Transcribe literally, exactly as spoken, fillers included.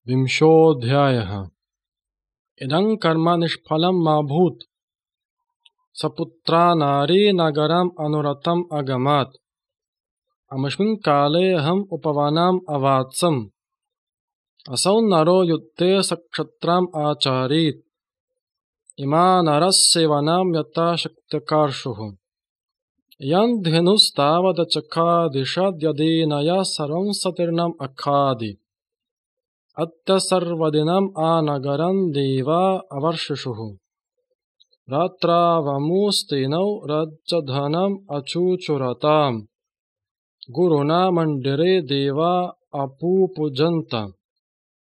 विंशोऽध्यायः। इदं कर्म निष्फलं मा भूत्। सपुत्रा नारी नगरम् अनुरतम् अगमात्। अमुष्मिन् काले अहम् उपवनम् अवात्सम्। असौ नरो युद्धे सक्षत्रम् आचारीत्। इमा नरस्सेवनं यथा शक्त्यकार्षुः। यं धेनुस्तावदचखादिषद्यदीनया सर्वं सतीर्णम् अखादि। अद्य सर्वदिनम् आनगरं देवा अवर्षिषुः। रात्रावमुस्तेनौ रज्जधनम् अचुचुरताम्। गुरुणा मन्दिरे देवा अपुपूजन्त।